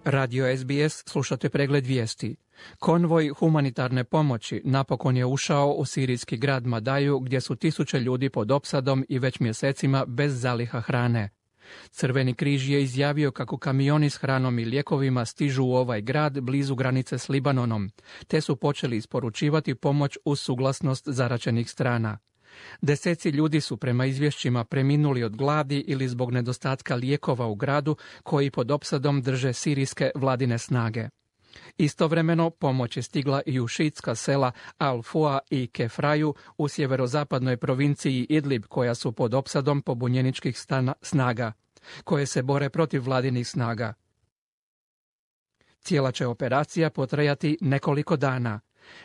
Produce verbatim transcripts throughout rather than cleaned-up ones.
Radio S B S, slušate pregled vijesti. Konvoj humanitarne pomoći napokon je ušao u sirijski grad Madaju, gdje su tisuće ljudi pod opsadom i već mjesecima bez zaliha hrane. Crveni križ je izjavio kako kamioni s hranom i lijekovima stižu u ovaj grad blizu granice s Libanonom, te su počeli isporučivati pomoć uz suglasnost zaraćenih strana. Deseci ljudi su prema izvješćima preminuli od gladi ili zbog nedostatka lijekova u gradu koji pod opsadom drže sirijske vladine snage. Istovremeno pomoć je stigla i u šiitska sela Al-Fua i Kefraju u sjeverozapadnoj provinciji Idlib, koja su pod opsadom pobunjeničkih stana, snaga, koje se bore protiv vladinih snaga. Cijela će operacija potrajati nekoliko dana.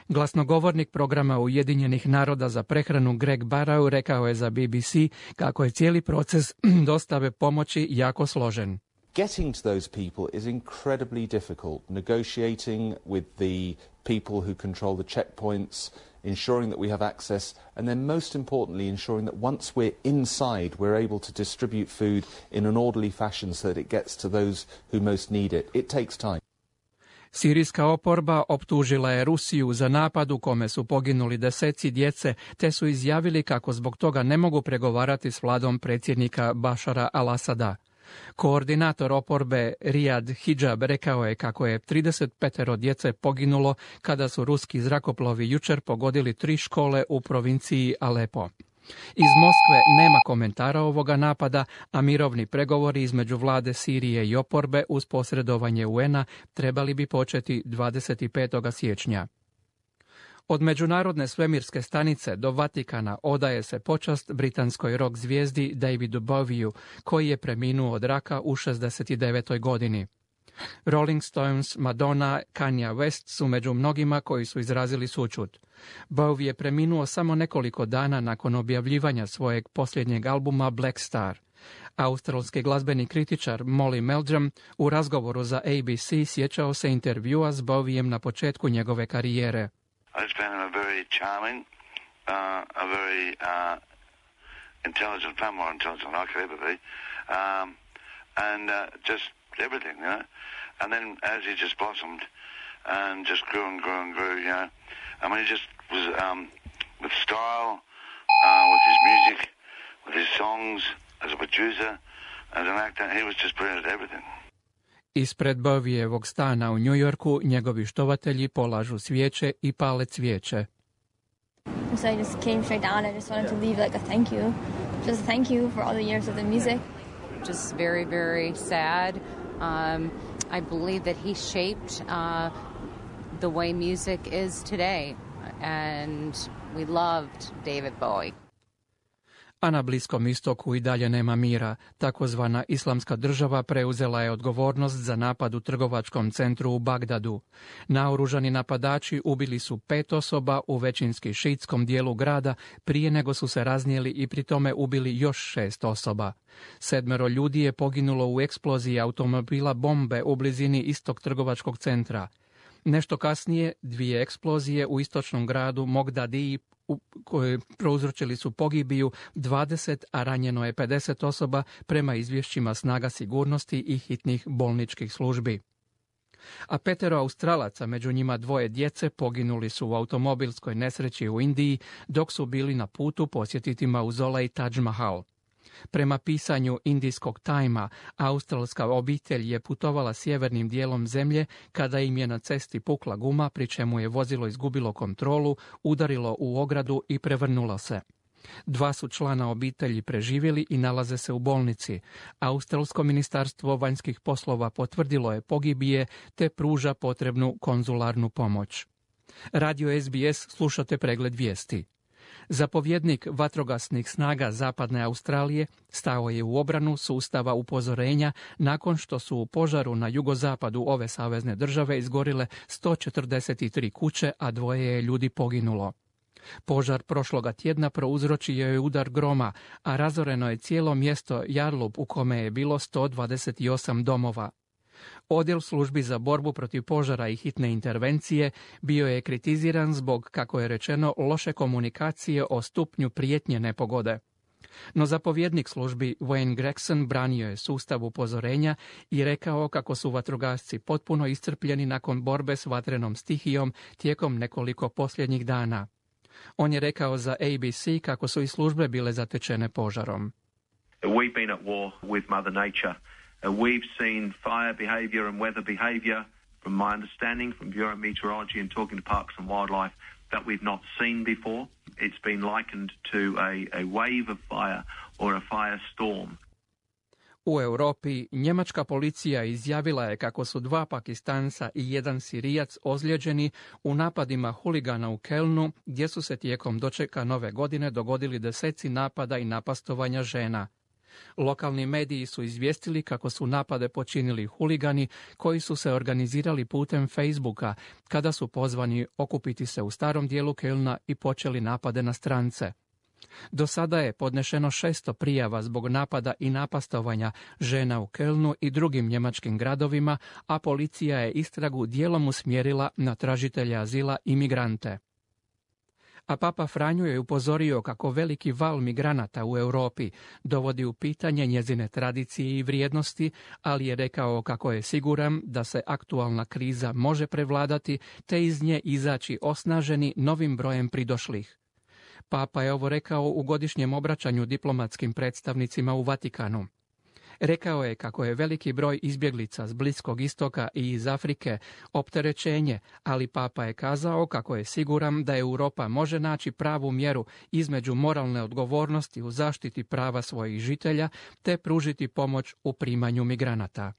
Glasnogovornik programa Ujedinjenih naroda za prehranu Greg Barrow rekao je za B B C kako je cijeli proces dostave pomoći jako složen. Getting to those people is incredibly difficult. Negotiating with the people who control the checkpoints, ensuring that we have access, and then most importantly ensuring that once we're inside we're able to distribute food in an orderly fashion so that it gets to those who most need it. It takes time. Sirijska oporba optužila je Rusiju za napad u kome su poginuli deseci djece, te su izjavili kako zbog toga ne mogu pregovarati s vladom predsjednika Bašara al-Asada. Koordinator oporbe Riyad Hijab rekao je kako je trideset pet djece poginulo kada su ruski zrakoplovi jučer pogodili tri škole u provinciji Alepo. Iz Moskve nema komentara ovoga napada, a mirovni pregovori između vlade Sirije i oporbe uz posredovanje U N-a trebali bi početi dvadeset petog siječnja. Od Međunarodne svemirske stanice do Vatikana odaje se počast britanskoj rock zvijezdi Davidu Bowieju, koji je preminuo od raka u šezdeset devetoj godini. Rolling Stones, Madonna, Kanye West su među mnogima koji su izrazili sućut. Bowie je preminuo samo nekoliko dana nakon objavljivanja svojeg posljednjeg albuma Black Star. Australski glazbeni kritičar Molly Meldrum u razgovoru za A B C sjećao se intervjua s Bowiem na početku njegove karijere. I just found him a very charming, uh, a very uh, intelligent, far more intelligent than I could ever be, um, and uh, just everything, you know. And then as he just blossomed and just grew and grew and grew, you know. I mean, he just was um, with style, uh, with his music, with his songs, as a producer, as an actor. He was just brilliant at everything. Ispred Bowievog stana u New Yorku njegovi štovatelji polažu svijeće i pale cvijeće. So I just came straight down. I just wanted to leave like a thank you. Just thank you for all the years of the music. Just very, very sad. Um, I believe that he shaped uh, the way music is today. And we loved David Bowie. A na Bliskom istoku i dalje nema mira. Takozvana Islamska država preuzela je odgovornost za napad u trgovačkom centru u Bagdadu. Naoružani napadači ubili su pet osoba u većinski šiitskom dijelu grada prije nego su se raznijeli i pri tome ubili još šest osoba. Sedmero ljudi je poginulo u eksploziji automobila bombe u blizini istog trgovačkog centra. Nešto kasnije dvije eksplozije u istočnom gradu Mogdadiji koje prouzročili su pogibiju dvadeset, a ranjeno je pedeset osoba prema izvješćima snaga sigurnosti i hitnih bolničkih službi. A petero Australaca, među njima dvoje djece, poginuli su u automobilskoj nesreći u Indiji dok su bili na putu posjetiti mauzolej Taj Mahal. Prema pisanju indijskog Tajma, australska obitelj je putovala sjevernim dijelom zemlje kada im je na cesti pukla guma, pri čemu je vozilo izgubilo kontrolu, udarilo u ogradu i prevrnulo se. Dva su člana obitelji preživjeli i nalaze se u bolnici. Australsko ministarstvo vanjskih poslova potvrdilo je pogibije te pruža potrebnu konzularnu pomoć. Radio S B S, slušate pregled vijesti. Zapovjednik vatrogasnih snaga Zapadne Australije stao je u obranu sustava upozorenja nakon što su u požaru na jugozapadu ove savezne države izgorile sto četrdeset tri kuće, a dvoje je ljudi poginulo. Požar prošloga tjedna prouzročio je udar groma, a razoreno je cijelo mjesto Yarlup u kome je bilo sto dvadeset osam domova. Odjel službi za borbu protiv požara i hitne intervencije bio je kritiziran zbog, kako je rečeno, loše komunikacije o stupnju prijetnje nepogode. No zapovjednik službi Wayne Gregson branio je sustav upozorenja i rekao kako su vatrogasci potpuno iscrpljeni nakon borbe s vatrenom stihijom tijekom nekoliko posljednjih dana. On je rekao za A B C kako su i službe bile zatečene požarom. We've been at war with Mother Nature. We've seen fire behavior and weather behavior, from my understanding, from Bureau of Meteorology and talking to Parks and Wildlife, that we've not seen before. It's been likened to a, a wave of fire or a firestorm. U Europi njemačka policija izjavila je kako su dva Pakistanca i jedan Sirijac ozlijeđeni u napadima huligana u Kelnu, gdje su se tijekom dočeka nove godine dogodili deseci napada i napastovanja žena. Lokalni mediji su izvijestili kako su napade počinili huligani koji su se organizirali putem Facebooka kada su pozvani okupiti se u starom dijelu Kelna i počeli napade na strance. Do sada je podnešeno šesto prijava zbog napada i napastovanja žena u Kelnu i drugim njemačkim gradovima, a policija je istragu dijelom usmjerila na tražitelje azila i migrante. A Papa Franjo je upozorio kako veliki val migranata u Europi dovodi u pitanje njezine tradicije i vrijednosti, ali je rekao kako je siguran da se aktualna kriza može prevladati te iz nje izaći osnaženi novim brojem pridošlih. Papa je ovo rekao u godišnjem obraćanju diplomatskim predstavnicima u Vatikanu. Rekao je kako je veliki broj izbjeglica s Bliskog istoka i iz Afrike opterećenje, ali Papa je kazao kako je siguran da Europa može naći pravu mjeru između moralne odgovornosti u zaštiti prava svojih žitelja te pružiti pomoć u primanju migranata.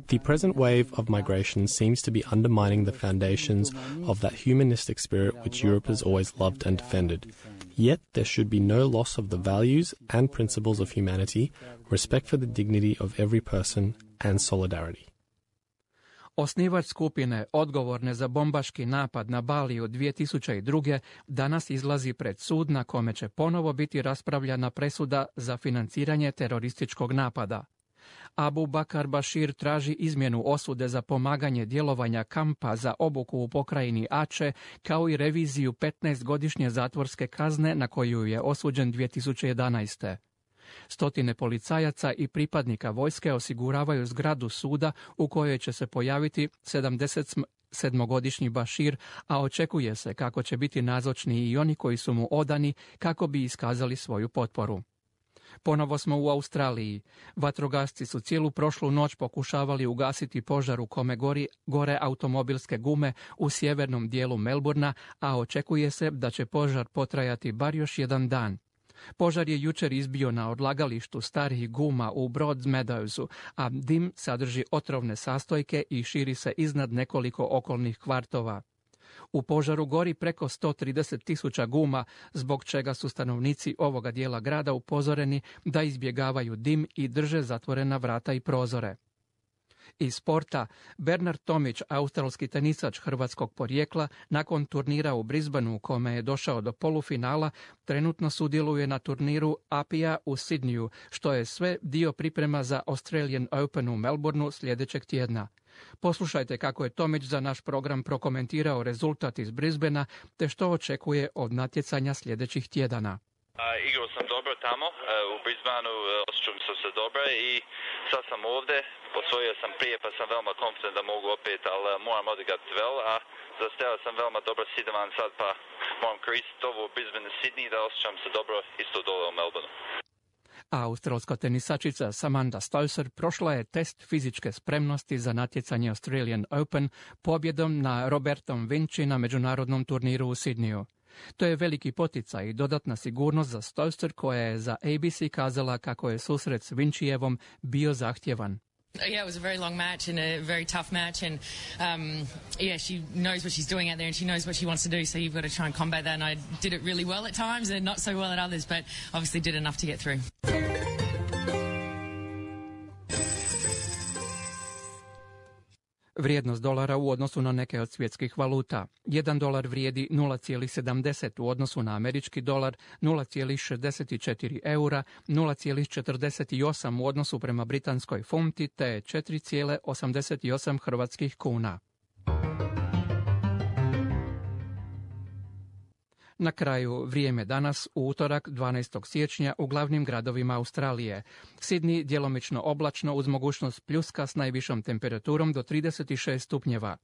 The present wave of migration seems to be undermining the foundations of that humanistic spirit which Europe has always loved and defended. Yet there should be no loss of the values and principles of humanity, respect for the dignity of every person, and solidarity. Osnivač skupine odgovorne za bombaški napad na Baliju dvije tisuće druge. danas izlazi pred sud na kome će ponovo biti raspravljana presuda za financiranje terorističkog napada. Abu Bakar Bashir traži izmjenu osude za pomaganje djelovanja kampa za obuku u pokrajini Ače, kao i reviziju petnaestogodišnje zatvorske kazne na koju je osuđen dvije tisuće jedanaeste. Stotine policajaca i pripadnika vojske osiguravaju zgradu suda u kojoj će se pojaviti sedmogodišnji Bashir, a očekuje se kako će biti nazočni i oni koji su mu odani kako bi iskazali svoju potporu. Ponovo smo u Australiji. Vatrogasci su cijelu prošlu noć pokušavali ugasiti požar u kome gori, gore automobilske gume u sjevernom dijelu Melbourna, a očekuje se da će požar potrajati bar još jedan dan. Požar je jučer izbio na odlagalištu starih guma u Broadmeadowsu, a dim sadrži otrovne sastojke i širi se iznad nekoliko okolnih kvartova. U požaru gori preko sto trideset tisuća guma, zbog čega su stanovnici ovoga dijela grada upozoreni da izbjegavaju dim i drže zatvorena vrata i prozore. Iz sporta, Bernard Tomić, australski tenisač hrvatskog porijekla, nakon turnira u Brisbaneu u kome je došao do polufinala, trenutno sudjeluje na turniru A P I A u Sidneyu, što je sve dio priprema za Australian Open u Melbourneu sljedećeg tjedna. Poslušajte kako je Tomić za naš program prokomentirao rezultat iz Brisbanea te što očekuje od natjecanja sljedećih tjedana. Uh, igrao sam dobro tamo, uh, u Brisbaneu uh, osjećam sam se dobro i sad sam ovdje, osvojio sam prije pa sam veoma konfident da mogu opet, ali uh, moram odigrati vel, a zastavio sam veoma dobro sidovan sad pa moram koristiti ovo u Brisbane i Sydney da osjećam se dobro isto dole u Melbourneu. A australska tenisačica Samantha Stosur prošla je test fizičke spremnosti za natjecanje Australian Open pobjedom na Robertom Vinci na međunarodnom turniru u Sidneyu. To je veliki poticaj i dodatna sigurnost za Stosur koja je za A B C kazala kako je susret s Vincijevom bio zahtjevan. Yeah, it was a very long match and a very tough match, and um, yeah, she knows what she's doing out there and she knows what she wants to do, so you've got to try and combat that, and I did it really well at times and not so well at others, but obviously did enough to get through. Vrijednost dolara u odnosu na neke od svjetskih valuta. Jedan dolar vrijedi nula zarez sedamdeset u odnosu na američki dolar, nula zarez šezdeset četiri eura, nula zarez četrdeset osam u odnosu prema britanskoj funti te četiri zarez osamdeset osam hrvatskih kuna. Na kraju vrijeme danas u utorak dvanaestog siječnja u glavnim gradovima Australije. Sydney djelomično oblačno uz mogućnost pljuska s najvišom temperaturom do trideset šest stupnjeva.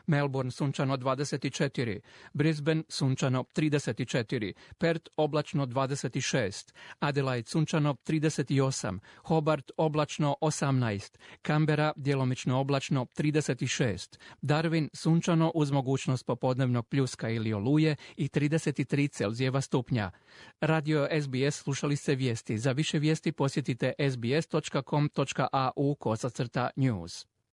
Melbourne sunčano dvadeset četiri, Brisbane sunčano trideset četiri, Perth oblačno dvadeset šest, Adelaide sunčano trideset osam, Hobart oblačno osamnaest, Canberra djelomično oblačno trideset šest, Darwin sunčano uz mogućnost popodnevnog pljuska ili oluje i trideset tri Celzijeva stupnja. Radio S B S slušali ste vijesti. Za više vijesti posjetite sbs točka com točka a u kosacrta news.